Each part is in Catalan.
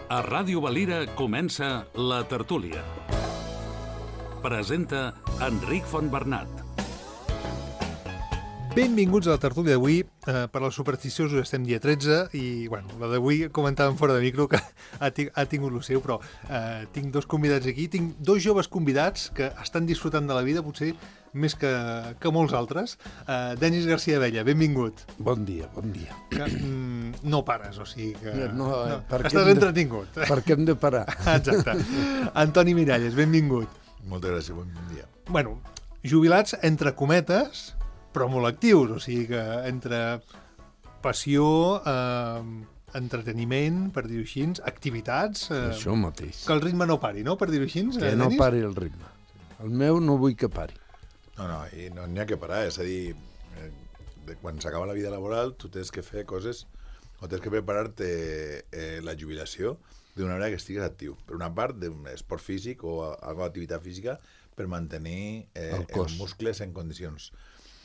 A Ràdio Valira comença La Tertúlia. Presenta Enric Fontbernat. Benvinguts a la tertúlia d'avui. Per als supersticiosos estem dia 13 i, bueno, la d'avui comentàvem fora de micro que ha tingut el seu, però tinc dos convidats aquí. Tinc dos joves convidats que estan disfrutant de la vida, potser més que molts altres. Denis García Abella, benvingut. Bon dia, bon dia. Que, no pares, o sigui que... No, estàs entretingut. Perquè hem de parar. Exacte. Antoni Miralles, benvingut. Moltes gràcies, bon dia. Bueno, jubilats entre cometes, però molt actius, o sigui que entre passió, entreteniment, per dir-ho així, activitats... Això mateix. Que el ritme no pari, no?, per dir-ho així, Que no pari el ritme. El meu no vull que pari. No, i no n'hi ha que parar, és a dir, quan s'acaba la vida laboral tu tens que fer coses, o tens que preparar-te la jubilació d'una manera que estigues actiu. Per una part, d'un esport físic o alguna activitat física per mantenir els muscles en condicions.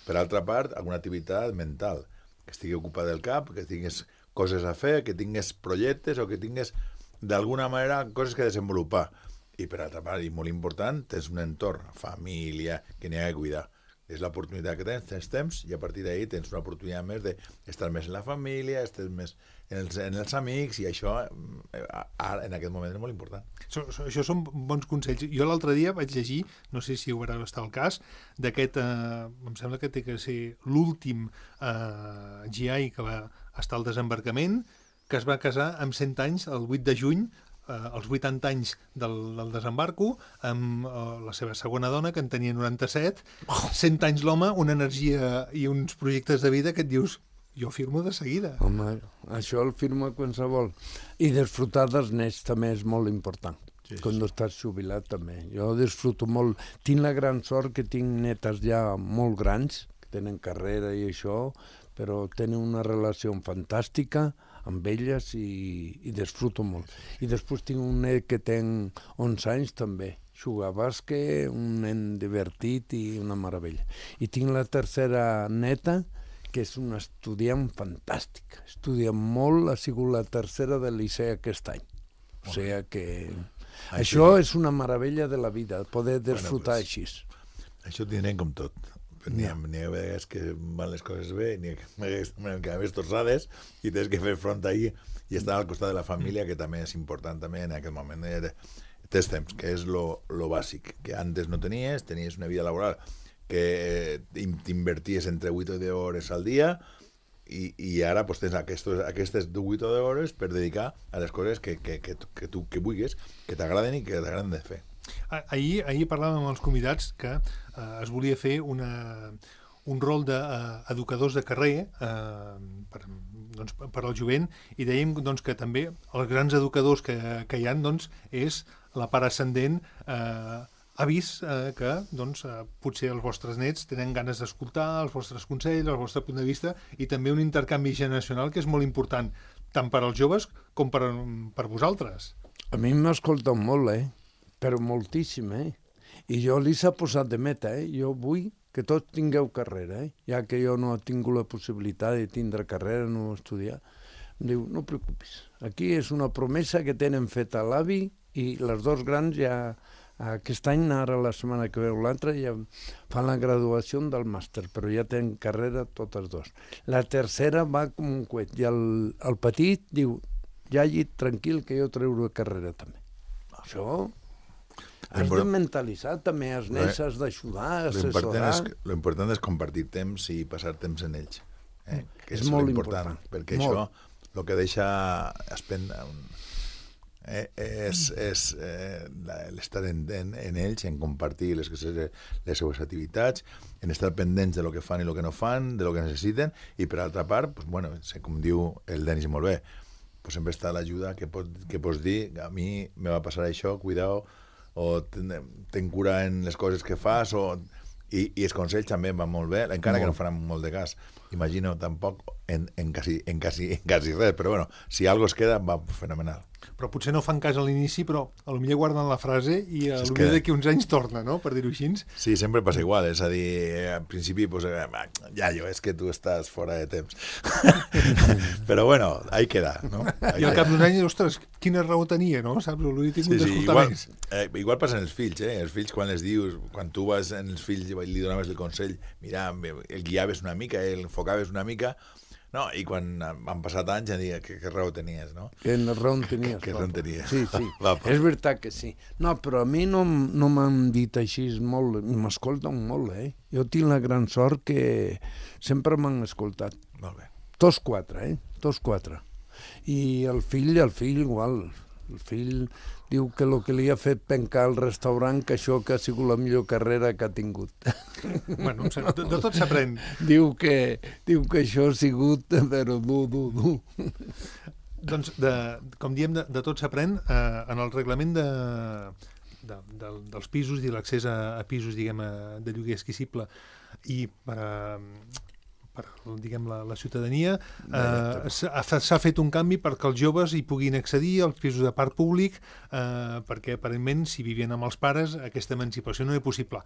Per altra part, alguna activitat mental, que estigui ocupat del cap, que tingués coses a fer, que tingués projectes o que tingués, d'alguna manera, coses que desenvolupar. I per altra part, i molt important, tens un entorn, família, que n'hi ha que cuidar. És l'oportunitat que tens temps, i a partir d'ahir tens una oportunitat més d'estar més en la família, estar més en els amics, i això en aquest moment és molt important. Això són bons consells. Jo l'altre dia vaig llegir, no sé si ho va estar al cas, d'aquest, em sembla que té que ser l'últim GI que va estar al desembarcament, que es va casar amb 100 anys, el 8 de juny, als 80 anys del desembarco, amb la seva segona dona, que en tenia 97, 100 anys l'home, una energia i uns projectes de vida que et dius, jo firmo de seguida. Home, això el firmo qualsevol. I disfrutar dels nets també és molt important. Sí. Quan estàs jubilat també. Jo disfruto molt. Tinc la gran sort que tinc netes ja molt grans, que tenen carrera i això, però tenen una relació fantàstica amb elles i disfruto molt. I després tinc un net que té 11 anys també. Juga a bàsquet, un nen divertit i una meravella. I tinc la tercera neta, que és una estudiant fantàstica. Estudia molt, ha sigut la tercera del liceu aquest any. O sigui que... Això és una meravella de la vida, poder disfrutar així. Això ho tindrem com tot. N'hi ha vegades que van les coses bé, n'hi ha que més torçades, i tens que fer front ahir i estar al costat de la família, que també és important també en aquest moment. Tens temps, que és lo bàsic, que antes no tenies una vida laboral que t'inverties entre 8 o 10 hores al dia, i ara pues, tens aquestes 8 o 10 hores per dedicar a les coses que tu vulguis, que t'agraden i que t'agraden de fer. Ahir parlàvem amb els convidats que es volia fer un rol d'educadors de carrer per al jovent, i dèiem doncs, que també els grans educadors que hi ha és la part ascendent. Ha vist que potser els vostres nets tenen ganes d'escoltar els vostres consells, el vostre punt de vista, i també un intercanvi generacional que és molt important, tant per als joves com per vosaltres. A mi m'escolten molt, però moltíssim, I jo li s'ha posat de meta, Jo vull que tots tingueu carrera, Ja que jo no he tingut la possibilitat de tindre carrera, no estudiar. Em diu, no preocupis, aquí és una promesa que tenen feta l'avi, i les dos grans ja aquest any, ara la setmana que veu l'altra, ja fan la graduació del màster, però ja tenen carrera totes dos. La tercera va com un coet, i el petit diu, ja llit tranquil que jo treuré carrera també. Això... Has de mentalitzar també els nens, has d'ajudar, assessorar... L'important és compartir temps i passar temps en ells. Que és molt important. Perquè això el que deixa és l'estar en ells, en compartir les seues activitats, en estar pendents de lo que fan i lo que no fan, de lo que necessiten, i per altra part, com diu el Denis molt bé, sempre està l'ajuda que pots dir, a mi me va passar això, cuidao, o ten cura en les coses que fas, i els consells també van molt bé, encara que no faran molt de cas. imagino tampoc en quasi res, però bueno, si algo es queda, va fenomenal. Però potser no fan cas a l'inici, però potser guarden la frase i potser queda. d'aquí uns anys torna, no?, per dir-ho així. Sí, sempre passa igual, és a dir, al principi, pues, Yayo, és que tu estàs fora de temps. Però bueno, ahí queda, no? I al cap d'un any, ostres, quina raó tenia, no? Saps? L'he tingut d'escoltar més. Igual passa en els fills, Els fills, quan les dius, quan tu vas en els fills i li donaves el consell, mira, el guiaves una mica, el enfocaves una mica, no, i quan han passat anys ja dic que raó tenies, no? Que raó tenies. Que raó tenies. Sí, sí, és veritat que sí. No, però a mi no m'han dit així molt, m'escolten molt, Jo tinc la gran sort que sempre m'han escoltat. Molt bé. Tots quatre. I el fill igual. El fill diu que el que li ha fet pencar al restaurant, que això que ha sigut la millor carrera que ha tingut. Bueno, de tot s'aprèn. Diu que això ha sigut, però dur. Doncs, com diem, de tot s'aprèn. En el reglament dels pisos i l'accés a pisos, diguem, de lloguer esquissible i per diguem, la ciutadania, s'ha fet un canvi perquè els joves hi puguin accedir als pisos de parc públic, perquè aparentment si vivien amb els pares aquesta emancipació no era possible.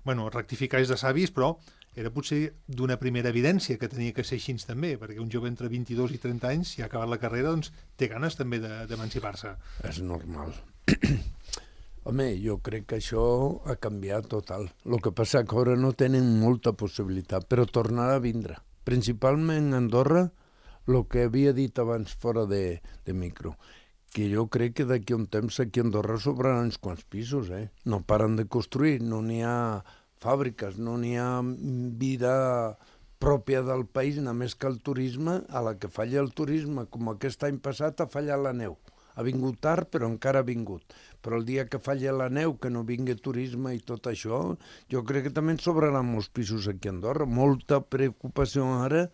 Bueno, rectificar és de savis, però era potser d'una primera evidència que tenia que ser així també, perquè un jove entre 22 i 30 anys, si ha acabat la carrera, doncs té ganes també d'emancipar-se. És normal. Home, jo crec que això ha canviat total. El que passa que ara no tenen molta possibilitat, però tornarà a vindre. Principalment a Andorra, el que havia dit abans fora de micro, que jo crec que d'aquí un temps aquí a Andorra sobraran uns quants pisos, No paren de construir, no n'hi ha fàbriques, no n'hi ha vida pròpia del país, només que el turisme, a la que falla el turisme, com aquest any passat ha fallat la neu. Ha vingut tard, però encara ha vingut. Però el dia que falla la neu, que no vingui turisme i tot això, jo crec que també en sobraran molts pisos aquí a Andorra. Molta preocupació ara,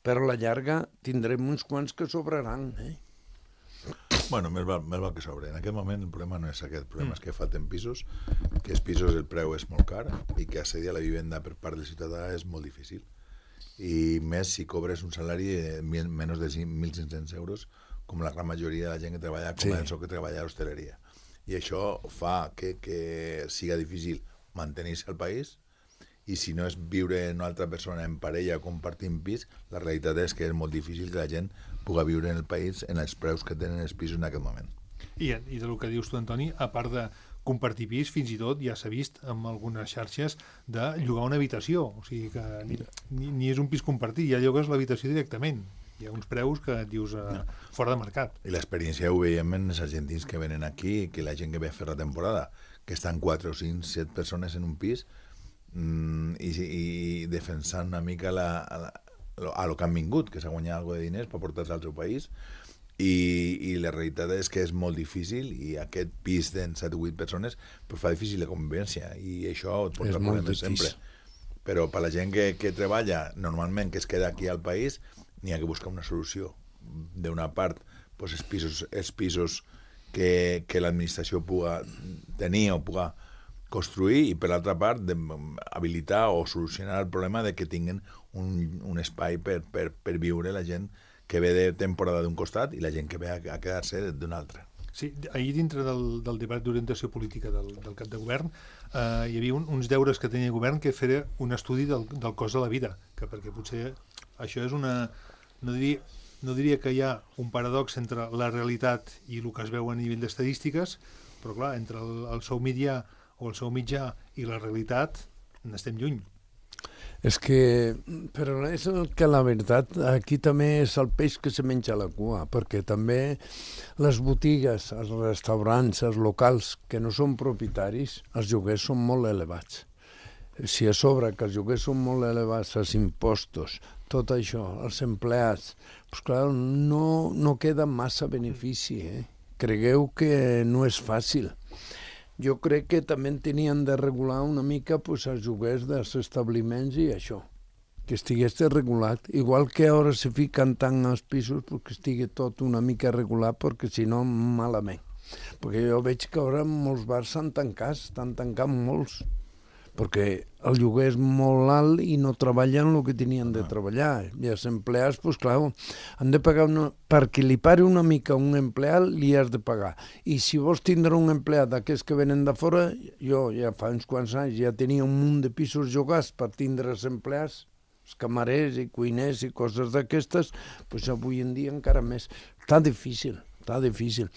però a la llarga tindrem uns quants que sobraran. Bueno, més val que sobre. En aquest moment el problema no és aquest. El problema és que falten pisos, que els pisos el preu és molt car i que accedir a la vivenda per part del ciutadà és molt difícil. I més si cobres un salari de menys de 1.500 euros, com la gran majoria de la gent que treballa com a que treballa a l'hostaleria. I això fa que siga difícil mantenir-se al país, i si no és viure amb una altra persona en parella o compartint pis, la realitat és que és molt difícil que la gent pugui viure en el país en els preus que tenen els pisos en aquest moment. I del que dius tu, Antoni, a part de compartir pis, fins i tot ja s'ha vist amb algunes xarxes de llogar una habitació, o sigui que ni és un pis compartit, ja llogues l'habitació directament. Hi ha uns preus que et dius fora de mercat. I l'experiència ho veiem en els argentins que venen aquí, que la gent que ve a fer la temporada, que estan 4 o 5, 7 persones en un pis i defensant una mica a lo que han vingut, que s'ha guanyat alguna de diners per portar-se al seu país, i la realitat és que és molt difícil, i aquest pis de 7 o 8 persones pues, fa difícil la convivència, i això et porta problemes sempre. Però per la gent que treballa normalment, que es queda aquí al país, n'hi ha que buscar una solució. D'una part, pues, els pisos que l'administració pugui tenir o pugui construir, i per l'altra part, habilitar o solucionar el problema de que tinguin un espai per viure la gent que ve de temporada d'un costat i la gent que ve a quedar-se d'un altre. Sí, ahir dintre del debat d'orientació política del cap de govern hi havia uns deures que tenia el govern, que fer un estudi del cost de la vida, perquè potser això és una... No diria que hi ha un paradox entre la realitat i el que es veu a nivell d'estadístiques, però clar, entre el sou mitjà o el sou mitjà i la realitat n'estem lluny. És que, però és que la veritat, aquí també és el peix que se menja la cua, perquè també les botigues, els restaurants, els locals que no són propietaris, els lloguers són molt elevats. Si a sobre que els lloguers són molt elevats, els impostos, tot això, els empleats, doncs clar, no queda massa benefici. Cregueu que no és fàcil. Jo crec que també tenien de regular una mica els lloguers dels establiments i això, que estigués regulat. Igual que ara se fiquen tant als pisos, que estigui tot una mica regulat, perquè si no, malament. Perquè jo veig que ara molts bars s'han tancat molts. perquè el lloguer és molt alt i no treballen el que tenien de treballar. I els empleats, doncs clar, han de pagar perquè li pari una mica un empleat, li has de pagar. I si vols tindre un empleat d'aquests que venen de fora, jo ja fa uns quants anys ja tenia un munt de pisos llogats per tindre els empleats, els camarers i cuiners i coses d'aquestes, doncs avui en dia encara més. Està difícil,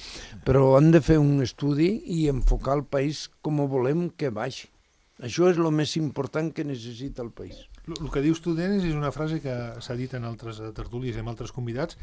però han de fer un estudi i enfocar el país com volem que baixi. Això és el més important que necessita el país. El que dius tu, Denis, és una frase que s'ha dit en altres tertúlies i en altres convidats,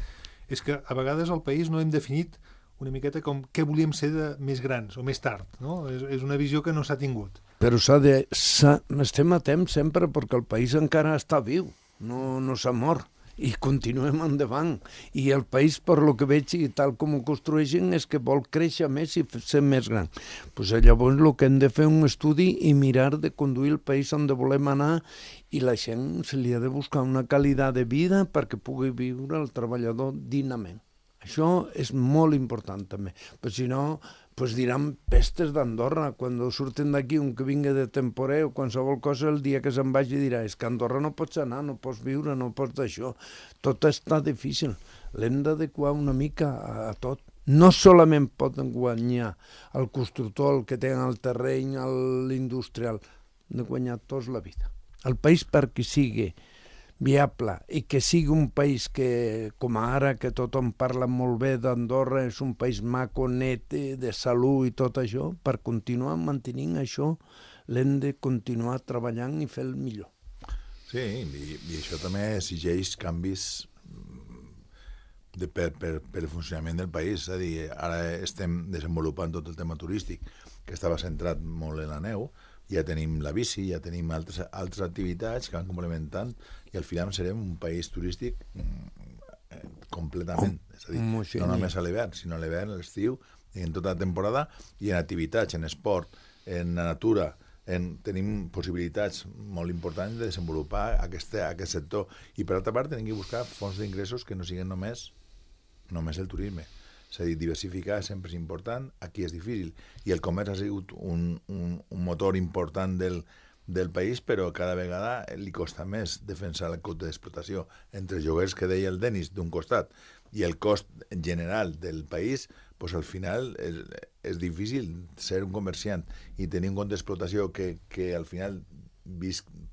és que a vegades al país no hem definit una miqueta com què volíem ser de més grans o més tard, no? És una visió que no s'ha tingut. Però estem a temps sempre perquè el país encara està viu, no s'ha mort. I continuem endavant. I el país, per lo que veig, i tal com ho construeixen, és que vol créixer més i ser més gran. Pues llavors el que hem de fer un estudi i mirar de conduir el país on volem anar i la gent se li ha de buscar una qualitat de vida perquè pugui viure el treballador dignament. Això és molt important també. Però si no, pues diran pestes d'Andorra. Quan surten d'aquí un que vingui de temporer o qualsevol cosa, el dia que se'n vagi dirà és que a Andorra no pots anar, no pots viure, no pots d'això. Tot està difícil. L'hem d'adequar una mica a tot. No solament poden guanyar el constructor, el que té el terreny, l'industrial. Han de guanyar tots la vida. El país perquè sigui viable i que sigui un país que, com ara, que tothom parla molt bé d'Andorra, és un país maco, net, de salut i tot això, per continuar mantenint això l'hem de continuar treballant i fer el millor. Sí, i això també exigeix canvis per el funcionament del país. És a dir, ara estem desenvolupant tot el tema turístic, que estava centrat molt en la neu, ja tenim la bici, ja tenim altres activitats que van complementant i al final serem un país turístic completament. És a dir, no només a l'hivern, sinó a l'hivern, a l'estiu, en tota la temporada, i en activitats, en esport, en la natura, tenim possibilitats molt importants de desenvolupar aquest sector. I per altra part, tenim que buscar fonts d'ingressos que no siguin només el turisme. És a dir, diversificar sempre és important, aquí és difícil, i el comerç ha sigut un motor important del país, però cada vegada li costa més defensar el cost d'explotació entre els lloguers que deia el Denis d'un costat i el cost general del país, doncs al final és difícil ser un comerciant i tenir un cost d'explotació que al final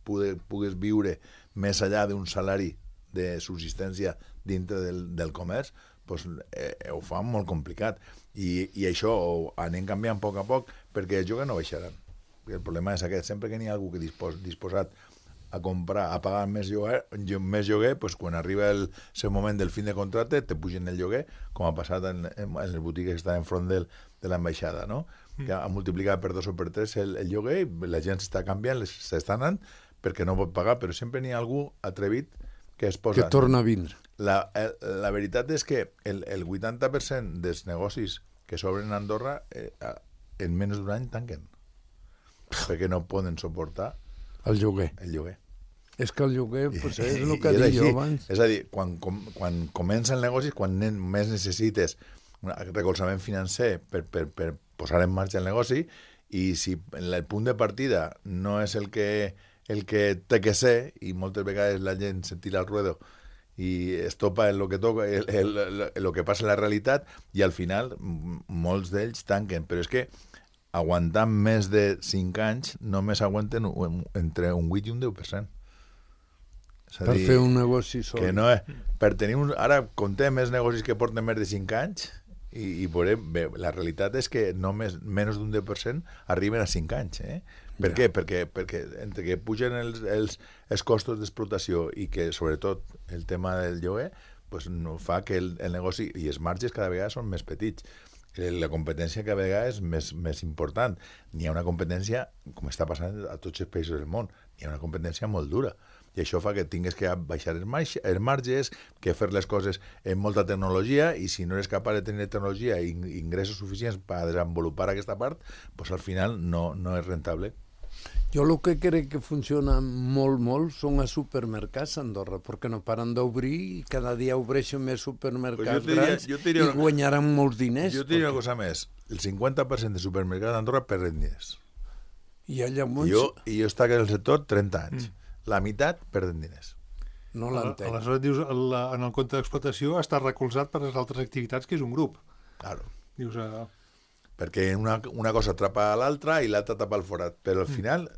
pugues viure més enllà d'un salari de subsistència dintre del comerç, doncs ho fa molt complicat. I això ho anem canviant a poc perquè els lloguers no baixaran. El problema és aquest, sempre que n'hi ha algú que disposat a comprar, a pagar més lloguer, doncs quan arriba el seu moment del fin de contracte te pugen el lloguer, com ha passat en les botigues que estan enfront de l'ambaixada, no? Que ha multiplicat per 2 o per 3 el lloguer, la gent s'està canviant, s'està anant perquè no pot pagar, però sempre n'hi ha algú atrevit que es posa... Que torna a vindre. La veritat és que el 80% dels negocis que s'obren a Andorra en menys d'un any tanquen, perquè no poden suportar el lloguer. És que el lloguer pues, és el que dic jo abans. És a dir, quan comença el negoci, quan més necessites recolzament financer per posar en marxa el negoci, i si el punt de partida no és el que té que ser, i moltes vegades la gent se tira al ruedo i es topa en lo que toca, el que passa en la realitat, i al final molts d'ells tanquen. Però és que aguantant més de 5 anys només aguanten entre un 8 i un 10%. Per fer un negoci sol. Que no per tenir ara contem els negocis que porten més de 5 anys i veurem, bé, la realitat és que només menys d'un 10% arriben a 5 anys. Per què? Perquè entre que pugen els costos d'explotació i que, sobretot, el tema del lloguer, pues, no fa que el negoci i els marges cada vegada són més petits. La competència cada vegada és més important. N'hi ha una competència, com està passant a tots els països del món, n'hi ha una competència molt dura. I això fa que tingues que baixar els marges, que fer les coses amb molta tecnologia, i si no eres capaç de tenir tecnologia i ingressos suficients per desenvolupar aquesta part, doncs al final no és rentable. Jo el que crec que funciona molt són els supermercats a Andorra, perquè no paren d'obrir i cada dia obreixen més supermercats grans i guanyaran molts diners. Jo et diria una cosa més. El 50% de supermercats d'Andorra perden diners. I llavors Jo estic en el sector 30 anys. La meitat perden diners. no l'entenc. Aleshores dius, en el compte d'explotació està recolzat per les altres activitats, que és un grup. Claro. Dius, Perquè una cosa atrapa a l'altra i l'altra tapa el forat. Però al final,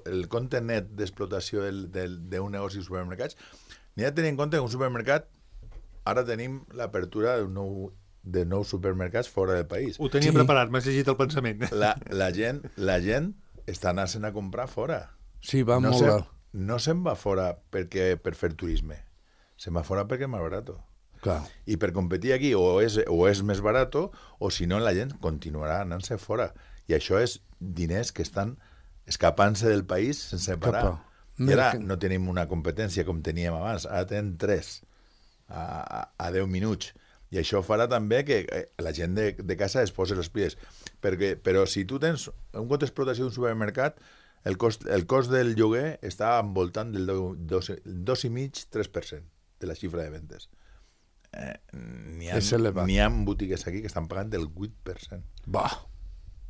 el compte net d'explotació d'un negoci de supermercats, n'hi ha de tenir en compte que un supermercat, ara tenim l'apertura de nous supermercats fora del país. ho tenia preparat, m'has llegit el pensament. La gent està anant a comprar fora. Sí, va molt alt. No se'n va fora per fer turisme. Se'n va fora perquè és més barat. Clar. I per competir aquí o és més barat o si no la gent continuarà anant-se fora. I això és diners que estan escapant-se del país sense parar. I ara no tenim una competència com teníem abans. Ara tenim 3 a 10 minuts. I això farà també que la gent de casa es posi les piles. Però si tu tens un compte d'explotació d'un supermercat, el cost del lloguer està envoltant del 2,5-3% de la xifra de vendes. N'hi ha botigues aquí que estan pagant el 8%. Va.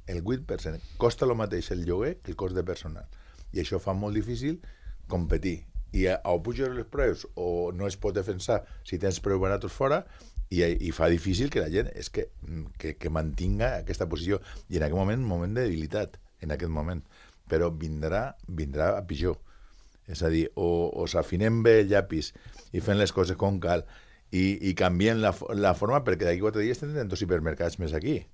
El 8%. Costa el mateix el lloguer que el cost de personal. I això fa molt difícil competir. I o puges els preus o no es pot defensar si tens preus barats fora i fa difícil que la gent que mantinga aquesta posició. I en aquest moment, un moment de debilitat, en aquest moment. Però vindrà a pitjor. És a dir, o s'afinem bé el llapis i fem les coses com cal i canviem la forma, perquè d'aquí 4 dies tindrem 2 hipermercats més aquí.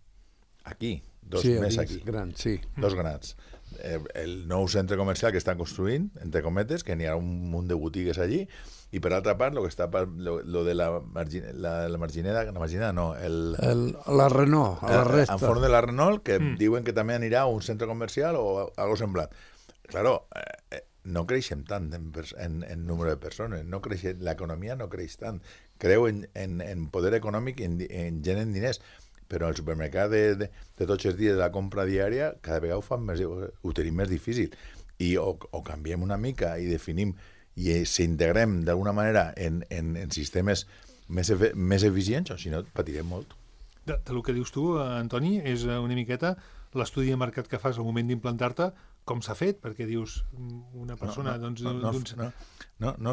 Aquí, 2 més aquí. Grans, sí. 2 grans. El nou centre comercial que estan construint, entre cometes, que n'hi ha un munt de botigues allí, i per altra part, lo de la Margineda, la Renault, a la resta. Enforn de la Renault, que diuen que també anirà a un centre comercial o algo semblant. Claro, no creixem tant en número de persones, l'economia no creix tant. Creu en poder econòmic, en gent en diners, però el supermercat de tots els dies de la compra diària cada vegada ho tenim més difícil. I o canviem una mica i definim i s'integrem d'alguna manera en sistemes més eficients, o si no patirem molt. El que dius tu, Antoni, és una miqueta l'estudi de mercat que fas al moment d'implantar-te, com s'ha fet, perquè dius una persona... No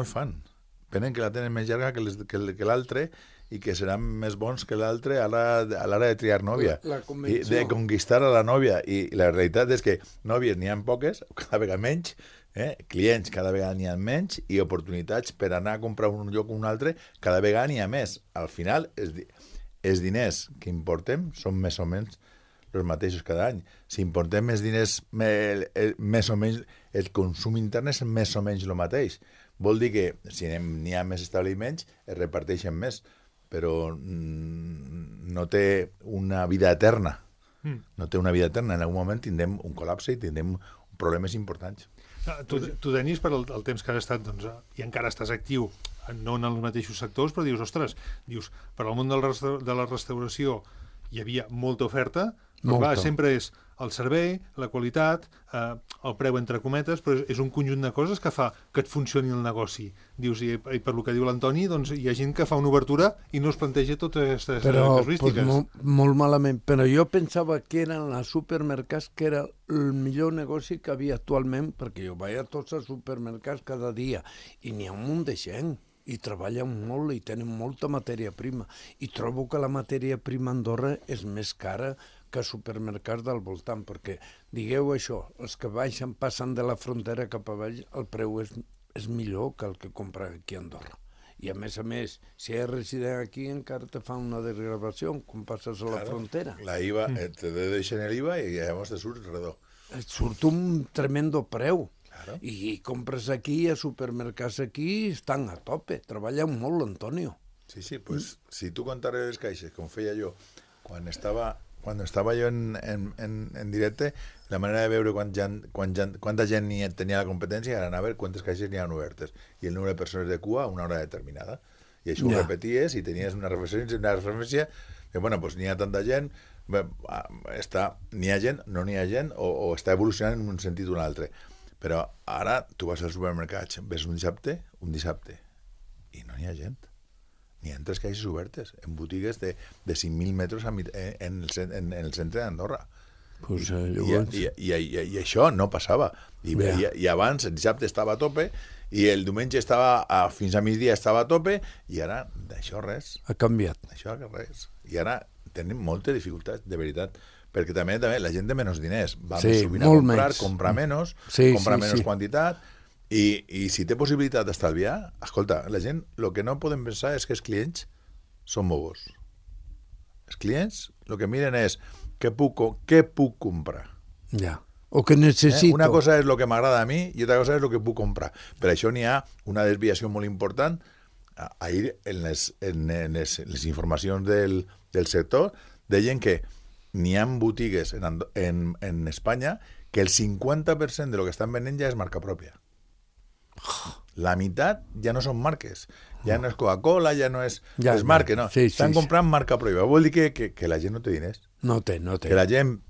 el fan. Penen que la tenen més llarga que l'altre i que seran més bons que l'altre a l'hora de triar nòvia. I de conquistar a la nòvia. I la realitat és que nòvies n'hi ha poques, cada vegada menys, clients cada vegada n'hi ha menys i oportunitats per anar a comprar un lloc o un altre cada vegada n'hi ha més. Al final, els diners que importem són més o menys els mateixos cada any. Si importem més diners, més o menys, el consum intern és més o menys el mateix. Vol dir que si n'hi ha més establiments, es reparteixen més, però no té una vida eterna. No té una vida eterna. En algun moment tindrem un col·lapse i tindrem problemes importants. Tu, Denis, per el temps que has estat, doncs, i encara estàs actiu, no en els mateixos sectors, però dius, ostres, per al món de la restauració hi havia molta oferta, però clar, sempre és el servei, la qualitat, el preu entre cometes, però és un conjunt de coses que fa que et funcioni el negoci. Dius, i per lo que diu l'Antoni, doncs hi ha gent que fa una obertura i no es planteja totes aquestes casuístiques. Però molt malament. Però jo pensava que eren els supermercats que era el millor negoci que havia actualment, perquè jo vaig a tots els supermercats cada dia i n'hi ha un munt de gent i treballen molt i tenen molta matèria prima. I trobo que la matèria prima a Andorra és més cara que supermercats del voltant, perquè, digueu això, els que passen de la frontera cap a baix, el preu és millor que el que compra aquí a Andorra. I a més, si és resident aquí, encara te fa una desgravació quan passes a la frontera. La IVA, te deixen l'IVA i llavors te surt redó. Et surt un tremendo preu. Claro. I compres aquí, a supermercats aquí, estan a tope. Treballen molt, Antonio. Sí, pues, si tu contares les caixes, com feia jo, quan estava jo en directe, la manera de veure quanta gent tenia la competència era anar a veure quantes caixes n'hi ha obertes i el número de persones de cua a una hora determinada. I això ho repeties i tenies una referència que, bueno, doncs n'hi ha tanta gent, n'hi ha gent, no n'hi ha gent, o està evolucionant en un sentit o un altre. Però ara tu vas al supermercat, ves un dissabte, i no n'hi ha gent. N'hi ha 3 caixes obertes en botigues de 5.000 metres en el centre d'Andorra. Pues, llavors... I això no passava. I abans el dissabte estava a tope i el diumenge fins a migdia estava a tope i ara d'això res. Ha canviat. Això res. I ara tenim moltes dificultats, de veritat. Perquè també la gent té menys diners. Va més sovint a comprar menys, comprar menys quantitat i si té possibilitat d'estalviar, escolta, la gent, el que no podem pensar és que els clients són bobos. Els clients el que miren és què puc comprar. Ja. O que necessito. Una cosa és el que m'agrada a mi i altra cosa és el que puc comprar. Per això n'hi ha una desviació molt important. Ahir, en les informacions del sector, deien que n'hi ha botigues en Espanya que el 50% de lo que estan venent ja és marca pròpia. La meitat ja no són marques. Ja no és Coca-Cola, ja no és marques, no. Estan comprant marca pròpia. Vol dir que la gent no té diners. No té. Que la gent,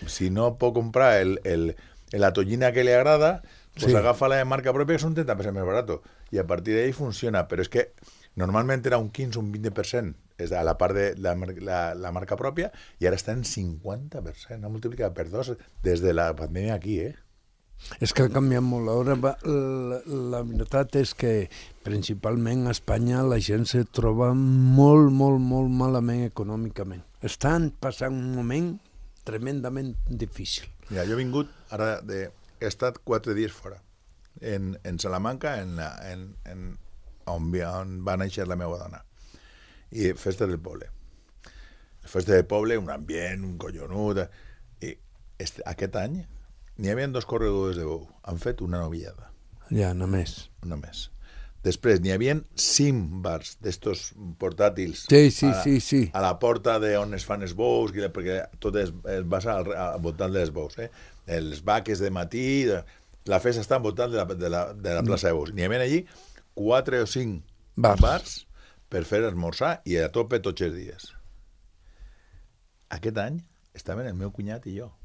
si no pot comprar la tollina que li agrada, pues agafa la de marca pròpia, que és un 30% més barat. I a partir d'ahí funciona. Però és que normalment era un 15 o un 20%. És a la part de la marca pròpia i ara està en 50%. Ha multiplicat per 2 des de la pandèmia aquí, És que ha canviat molt. La veritat és que principalment a Espanya la gent se troba molt malament econòmicament. Estan passant un moment tremendament difícil. Mira, jo he vingut, ara he estat 4 dies fora, en Salamanca, on va néixer la meva dona, i festa del poble. Festa del poble, un ambient, un collonut, i aquest any n'hi havia 2 corredors de bou. Han fet una novillada. Ja, només. Després, n'hi havia 5 bars d'estos portàtils a la porta d'on es fan els bous, perquè tot es basa al voltant dels bous. Els vaques de matí, la festa està al voltant de la plaça de bous. N'hi havia allí 4 o 5 bars per fer esmorzar i a tope tots els dies. Aquest any estaven el meu cunyat i jo.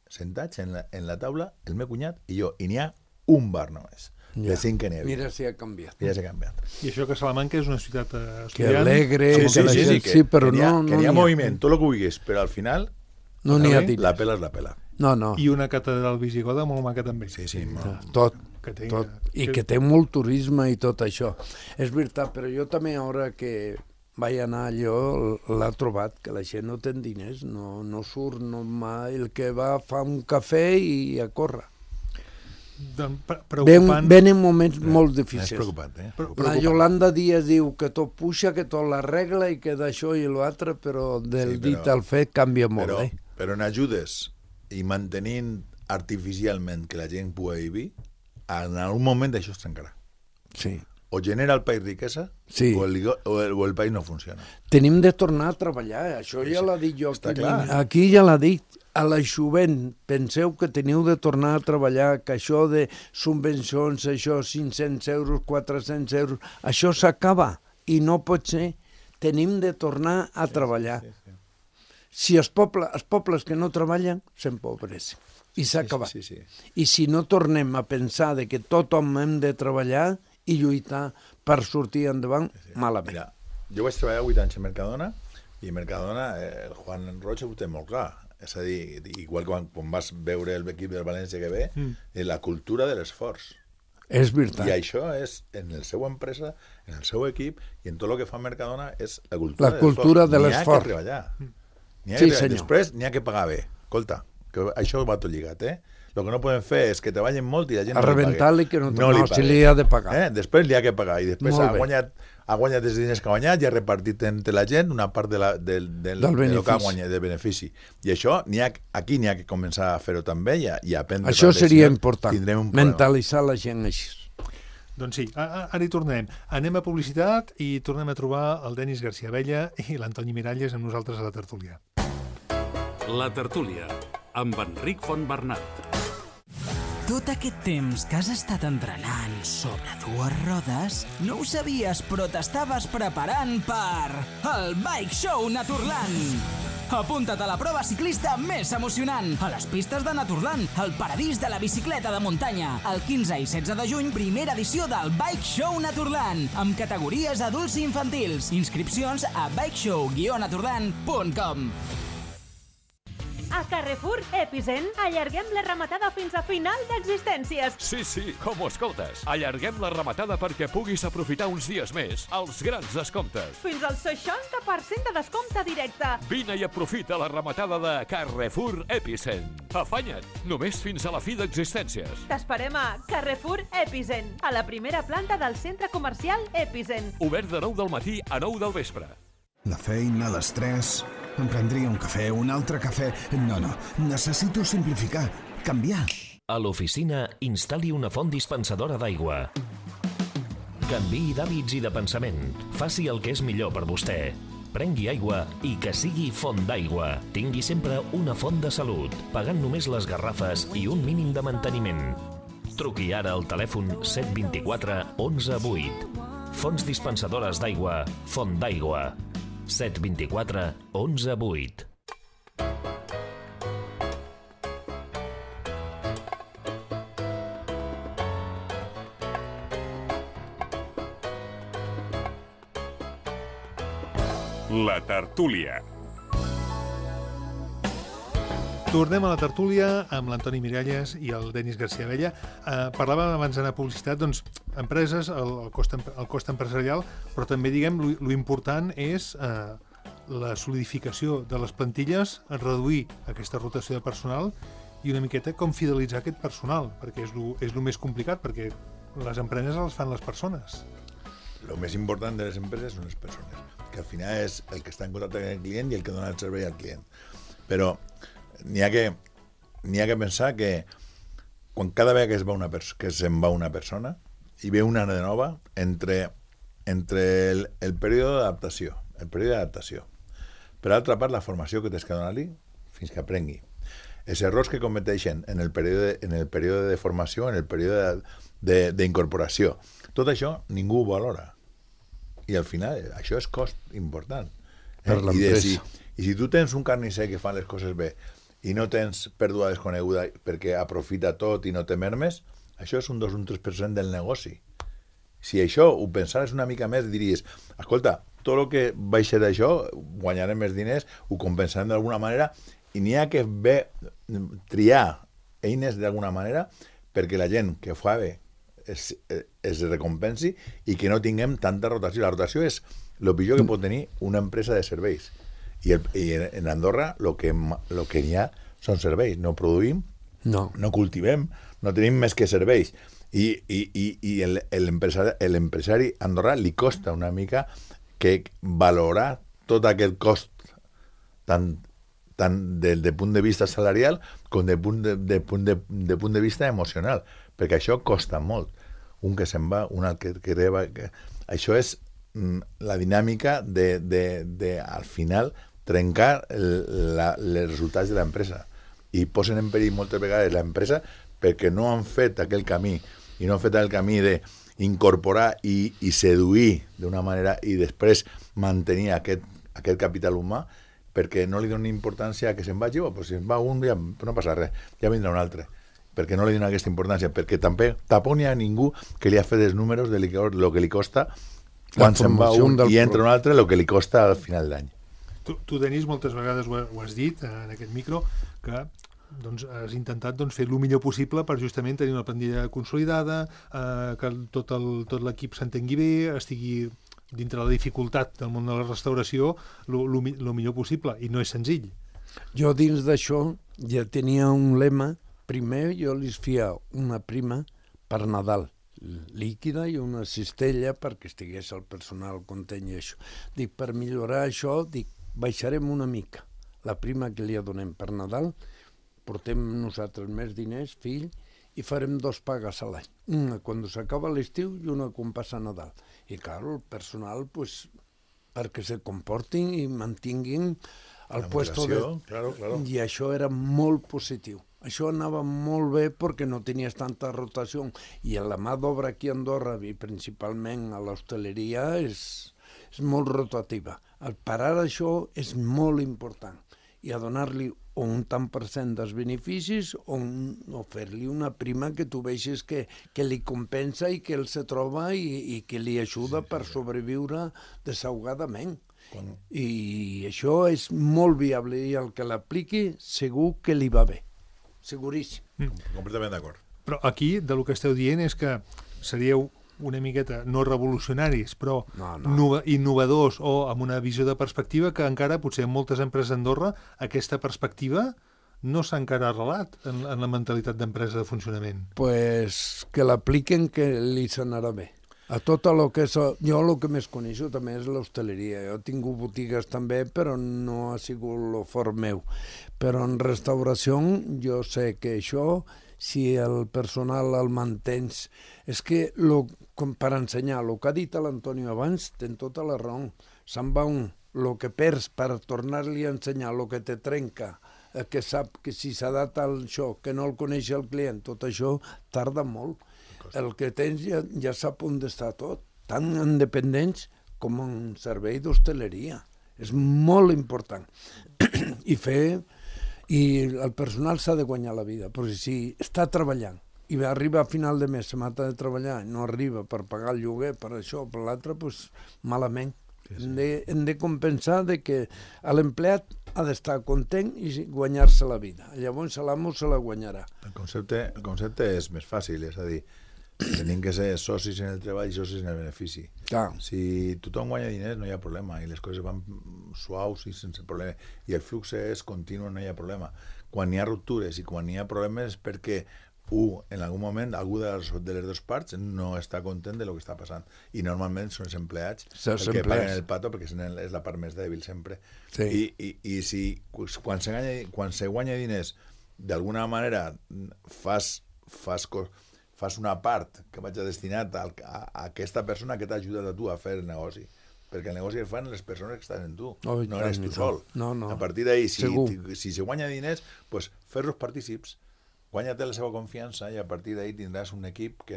Sentats en la taula, el meu cunyat i jo. I n'hi ha un bar només. De 5 que n'hi havia. Mira si ha canviat. I això que Salamanca és una ciutat estudiant. Que alegre, però no... Que n'hi ha moviment, tot el que vulguis, però al final no n'hi ha diners. La pela és la pela. No. I una catedral visigoda molt maca també. Sí. Tot. I que té molt turisme i tot això. És veritat, però jo també ara que vaig anar allò, l'ha trobat, que la gent no té diners, no surt mai, el que va fa un cafè i a córrer. Venen moments molt difícils. És preocupant, La Yolanda Díaz diu que tot puja, que tot l'arregla i que d'això i l'altre, però del dit al fet canvia molt. Però en ajudes i mantenint artificialment que la gent pugui vivir, en algun moment això es trencarà. Sí. O genera el país riquesa o el país no funciona. Tenim de tornar a treballar, això ja l'ha dit jo. Aquí ja l'ha dit. A la jovent, penseu que teniu de tornar a treballar, que això de subvencions, això 500 euros, 400 euros, això s'acaba i no pot ser. Tenim de tornar a treballar. Si els pobles que no treballen s'empobreixen i s'acaba. I si no tornem a pensar de que tothom hem de treballar i lluitar per sortir endavant, malament. Mira, jo vaig treballar 8 anys a Mercadona i a Mercadona el Juan Roig ho té molt clar. És a dir, igual que quan vas veure l'equip del València que ve, la cultura de l'esforç. És veritat. I això és, en la seva empresa, en el seu equip, i en tot el que fa Mercadona, és la cultura de l'esforç. N'hi ha que treballar. Després n'hi ha que pagar bé. Escolta, que això va tot lligat, El que no podem fer és que treballen molt i la gent no li pagui. A rebentar-li que no se li ha de pagar. Després li ha que pagar. I després ha guanyat els diners que ha guanyat i ha repartit entre la gent una part del que ha guanyat, del benefici. I això, aquí n'hi ha que començar a fer-ho també i aprendre. Això seria important, mentalitzar la gent així. Doncs sí, ara hi tornem. Anem a publicitat i tornem a trobar el Denis García Abella i l'Antoni Miralles amb nosaltres a la tertúlia. La tertúlia, amb Enric Fontbernat. Tot aquest temps que has estat entrenant sobre 2 rodes, no ho sabies, però t'estaves preparant per el Bike Show Naturland. Apunta't a la prova ciclista més emocionant, a les pistes de Naturland, el paradís de la bicicleta de muntanya. El 15 i 16 de juny, primera edició del Bike Show Naturland, amb categories adults i infantils. Inscripcions a bikeshow-naturland.com. A Carrefour Epicent allarguem la rematada fins a final d'existències. Sí, com ho escoltes. Allarguem la rematada perquè puguis aprofitar uns dies més els grans descomptes. Fins al 60% de descompte directe. Vine i aprofita la rematada de Carrefour Epicent. Afanya't, només fins a la fi d'existències. T'esperem a Carrefour Epicent, a la primera planta del centre comercial Epicent. Obert de 9 del matí a 9 del vespre. La feina, l'estrès... Em prendria un cafè, un altre cafè... No, necessito simplificar, canviar. A l'oficina, instal·li una font dispensadora d'aigua. Canviï d'hàbits i de pensament. Faci el que és millor per vostè. Prengui aigua i que sigui font d'aigua. Tingui sempre una font de salut, pagant només les garrafes i un mínim de manteniment. Truqui ara al telèfon 724 11 8. Fonts dispensadores d'aigua, Font d'Aigua. 724 11 8. La tertúlia. Tornem a la tertúlia amb l'Antoni Miralles i el Denis García Abella. Parlàvem abans d'anar a publicitat, doncs, empreses, el cost empresarial, però també, diguem, lo important és la solidificació de les plantilles, reduir aquesta rotació de personal i una miqueta com fidelitzar aquest personal, perquè és lo més complicat, perquè les empreses les fan les persones. Lo més important de les empreses són les persones, que al final és el que està en contacte amb el client i el que dona el servei al client. Però n'hi ha que pensar que quan cada vegada que se'n va una persona hi ve una de nova entre el període d'adaptació. Per altra part, la formació que tens que donar-li fins que aprengui. Els errors que cometeixen en el període de formació, en el període d'incorporació. Tot això ningú ho valora. I al final això és cost important. Per l'empresa. I si tu tens un carnisser que fa les coses bé i no tens pèrdua desconeguda perquè aprofita tot i no té mermes, això és un 2 o un 3% del negoci. Si això ho pensares una mica més, diries, escolta, tot el que baixa d'això, guanyarem més diners, ho compensarem d'alguna manera, i n'hi ha que triar eines d'alguna manera perquè la gent que fa bé es recompensi i que no tinguem tanta rotació. La rotació és el pitjor que pot tenir una empresa de serveis. I en Andorra el que n'hi ha són serveis. No produïm, no cultivem, no tenim més que serveis. I l'empresari andorrà li costa una mica que valorar tot aquest cost tant de punt de vista salarial com de punt de vista emocional, perquè això costa molt. Un que se'n va, un altre que reba... Això és la dinàmica de al final, trencar els resultats de l'empresa. I posen en perill moltes vegades l'empresa perquè no han fet aquell camí, i no han fet el camí d'incorporar i seduir d'una manera i després mantenir aquest capital humà, perquè no li donen importància a que se'n vagi, però si se'n va un, ja no passa res, ja vindrà un altre. Perquè no li donen aquesta importància, perquè tampoc n'hi ha ningú que li ha fet els números de lo que li costa quan se'n va un i entra un altre, el que li costa al final d'any. Tu, Denis, moltes vegades ho has dit en aquest micro, que has intentat fer el millor possible per justament tenir una plantilla consolidada, que tot l'equip s'entengui bé, estigui dintre la dificultat del món de la restauració el millor possible, i no és senzill. Jo dins d'això ja tenia un lema. Primer jo li feia una prima per Nadal, líquida i una cistella perquè estigués el personal content i això. Dic, per millorar això, baixarem una mica la prima que li donem per Nadal, portem nosaltres més diners, fill, i farem 2 pagues a l'any. Una quan s'acaba l'estiu i una quan passa Nadal. I, clar, el personal, perquè se comportin i mantinguin el puesto de... Claro. I això era molt positiu. Això anava molt bé perquè no tenies tanta rotació. I la mà d'obra aquí a Andorra, i principalment a l'hostaleria, és molt rotativa. El parar això és molt important. I a donar-li un tant per cent dels beneficis o fer-li una prima que tu veixis que li compensa i que ell se troba i que li ajuda per sobreviure desahogadament. I això és molt viable i el que l'apliqui segur que li va bé, seguríssim. Completament d'acord. Però aquí, del que esteu dient, és que seríeu una miqueta, no revolucionaris, però innovadors o amb una visió de perspectiva que encara, potser en moltes empreses d'Andorra, aquesta perspectiva no s'ha encara arrelat en la mentalitat d'empresa de funcionament. Pues que l'apliquen, que li s'anarà bé. A tot el que és... Jo el que més coneixo també és l'hostaleria. Jo he tingut botigues també, però no ha sigut el fort meu. Però en restauració jo sé que això, si el personal el mantens... És que per ensenyar, el que ha dit l'Antonio abans, ten tota la raó. Se'n va un, el que perds per tornar-li a ensenyar, el que te trenca, que sap que si s'adapta a això, que no el coneix el client, tot això tarda molt. El que tens ja sap on està tot, tant en dependents com en servei d'hostaleria. És molt important. I el personal s'ha de guanyar la vida, però si està treballant i arriba a final de mes, se mata de treballar, no arriba per pagar el lloguer, per això, per l'altre, doncs malament. Hem de compensar de que l'empleat ha d'estar content i guanyar-se la vida. Llavors l'amo se la guanyarà. El concepte és més fàcil, és a dir, tenim que ser socis en el treball i socis en el benefici. Clar. Si tothom guanya diners no hi ha problema i les coses van suaus i sense problema i el flux és continu, no hi ha problema. Quan hi ha ruptures i quan hi ha problemes és perquè en algun moment algú de les dues parts no està content de lo que està passant i normalment són els empleats els que paguen el pato perquè és la part més dèbil sempre. I si quan se guanya diners d'alguna manera fas una part que vaig destinat a aquesta persona que t'ha ajudat a tu a fer el negoci, perquè el negoci el fan les persones que estan en tu, no eres tu sol. A partir d'ahí, si se guanya diners, pues fer-los partícips, guanya-te la seva confiança i a partir d'ahí tindràs un equip que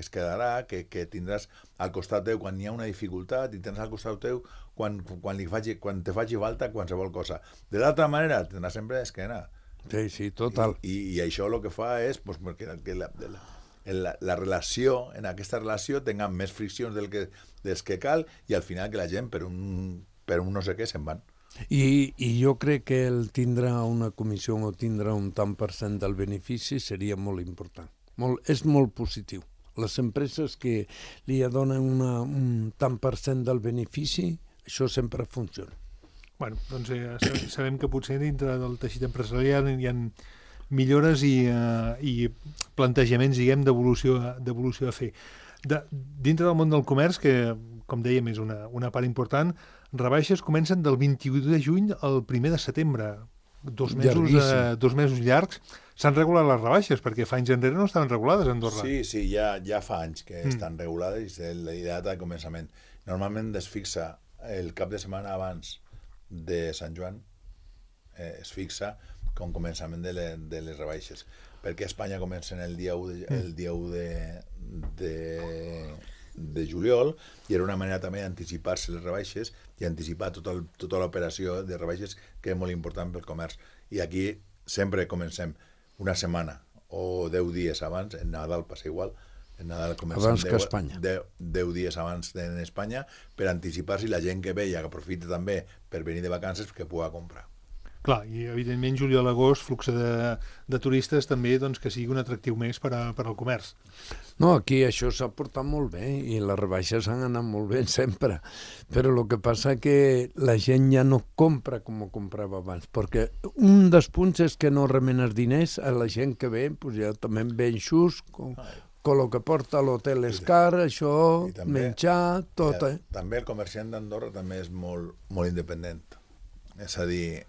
es quedarà, que tindràs al costat teu quan hi ha una dificultat i tindràs al costat teu quan te faci falta qualsevol cosa. De l'altra manera, tindràs sempre esquena. Sí, total. I això el que fa és que la relació, en aquesta relació, tinga més friccions dels que cal i al final que la gent per un no sé què se'n van. I jo crec que el tindrà una comissió o tindrà un tant per cent del benefici seria molt important. És molt positiu. Les empreses que li donen un tant per cent del benefici, això sempre funciona. Bueno, doncs sabem que potser dintre del teixit empresarial hi ha millores i plantejaments, diguem, d'evolució a fer. Dintre del món del comerç, que, com dèiem, és una part important, rebaixes comencen del 21 de juny al 1 de setembre. 2 mesos llargs. S'han regulat les rebaixes, perquè fa anys enrere no estaven regulades a Andorra. Sí, ja fa anys que estan regulades i la data de començament. Normalment es fixa el cap de setmana abans de Sant Joan, es fixa com començament de les rebaixes, perquè a Espanya comencen el dia 1 de juliol i era una manera també d'anticipar-se les rebaixes i anticipar tota l'operació de rebaixes, que és molt important pel comerç. I aquí sempre comencem una setmana o 10 dies abans, en Nadal passa igual, en Nadal comencem abans que a Espanya. 10 dies abans en Espanya per anticipar-se i la gent que ve i que aprofita també per venir de vacances que pugui comprar. Clar, i evidentment juliol-agost, flux de turistes també, doncs, que sigui un atractiu més per al comerç. No, aquí això s'ha portat molt bé i les rebaixes han anat molt bé sempre, però el que passa que la gent ja no compra com comprava abans, perquè un dels punts és que no remenes diners a la gent que ve, doncs ja també ve xus, com el que porta a l'hotel és car, això, menjar, tot. També el comerciant d'Andorra també és molt independent. És a dir,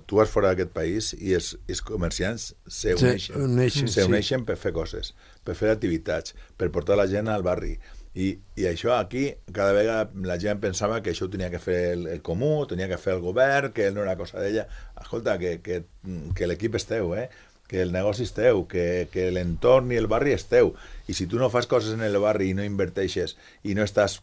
tu vas fora d'aquest país i els comerciants s'uneixen per fer coses, per fer activitats, per portar la gent al barri. I això aquí, cada vegada la gent pensava que això ho tenia que fer el comú, tenia que fer el govern, que no era cosa d'ella. Escolta, que l'equip és teu, que el negoci és teu, que l'entorn i el barri és teu. I si tu no fas coses en el barri i no inverteixes i no estàs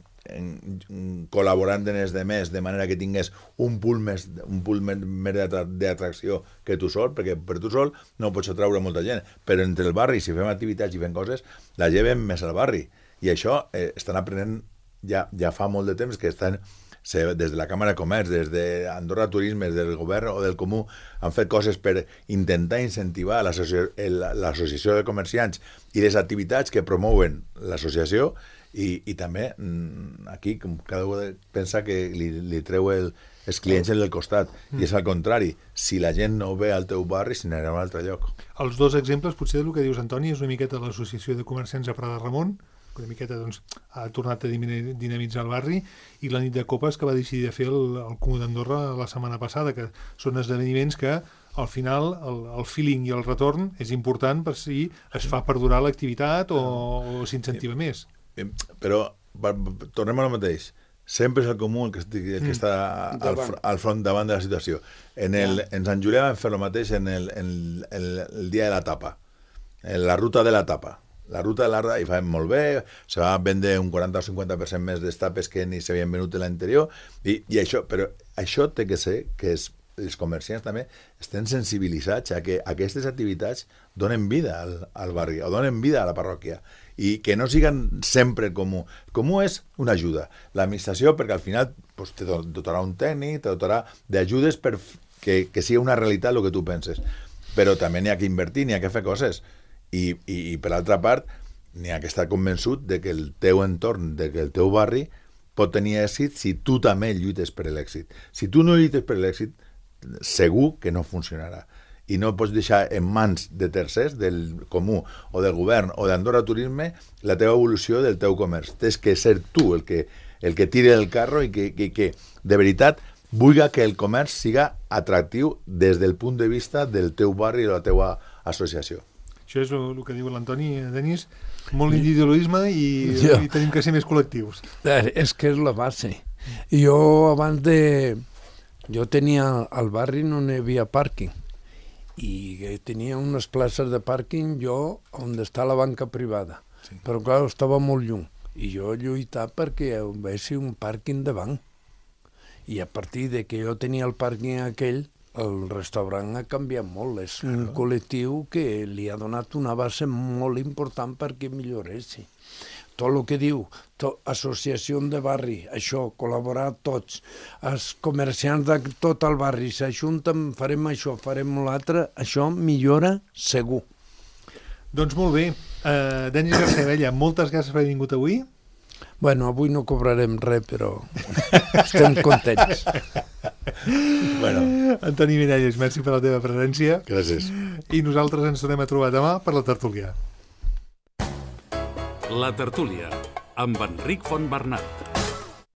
col·laborant en els demés de manera que tingués un pool més d'atracció que tu sol, perquè per tu sol no pots atraure molta gent, però entre el barri, si fem activitats i fem coses, la gent ve més al barri, i això estan aprenent ja fa molt de temps que estan des de la Càmera de Comerç, des d'Andorra Turisme, des del govern o del Comú, han fet coses per intentar incentivar l'associació de comerciants i les activitats que promouen l'associació, i també aquí cada un pensa que li treu els clients del costat, i és al contrari, si la gent no ve al teu barri, se n'anirà a un altre lloc. Els dos exemples, potser del que dius, Antoni, és una miqueta l'associació de comerciants a Prat de Ramon, que una miqueta ha tornat a dinamitzar el barri, i la nit de copes que va decidir de fer el Comú d'Andorra la setmana passada, que són esdeveniments que al final el feeling i el retorn és important per si es fa perdurar l'activitat o s'incentiva més. Però tornem al mateix. Sempre és el Comú el que està al front davant de la situació. En Sant Julià vam fer el mateix en el dia de la tapa, en la ruta de la tapa. La ruta de l'Arda hi fa molt bé, se va vendre un 40 o 50% més d'estapes que ni s'havien venut en l'anterior, però això té que ser que els comerciants també estan sensibilitzats a que aquestes activitats donen vida al barri, o donen vida a la parròquia, i que no siguin sempre comú. Comú és una ajuda. L'administració, perquè al final te dotarà un tècnic, te dotarà d'ajudes perquè sigui una realitat el que tu penses. Però també n'hi ha que invertir, n'hi ha que fer coses. I per l'altra part, n'hi ha que estar convençut de que el teu entorn, de que el teu barri pot tenir èxit si tu també lluites per l'èxit. Si tu no lluites per l'èxit, segur que no funcionarà. I no pots deixar en mans de tercers, del Comú o del govern o d'Andorra Turisme, la teva evolució del teu comerç. Tens que ser tu el que tiri el carro i que de veritat vulgui que el comerç siga atractiu des del punt de vista del teu barri i de la teua associació. Això és el que diu l'Antoni, Denis, molt individualisme i tenim que ser més col·lectius. És que és la base. Jo tenia al barri, no hi havia pàrquing, i tenia unes places de pàrquing jo on està la banca privada, però clar, estava molt lluny, i jo lluitava perquè hi hagués un pàrquing de banc, i a partir de que jo tenia el pàrquing aquell, el restaurant ha canviat molt. És un col·lectiu que li ha donat una base molt important perquè milloressi. Tot el que diu, associació de barri, això, col·laborar tots, els comerciants de tot el barri s'ajunten, farem això, farem l'altre, això millora segur. Doncs molt bé. Denis García, moltes gràcies per haver vingut avui. Bueno, avui no cobrarem res, però estem contents. Antoni Miralles, merci per la teva presència. Gràcies. I nosaltres ens tornem a trobar demà per la tertúlia. La tertúlia, amb Enric Fontbernat.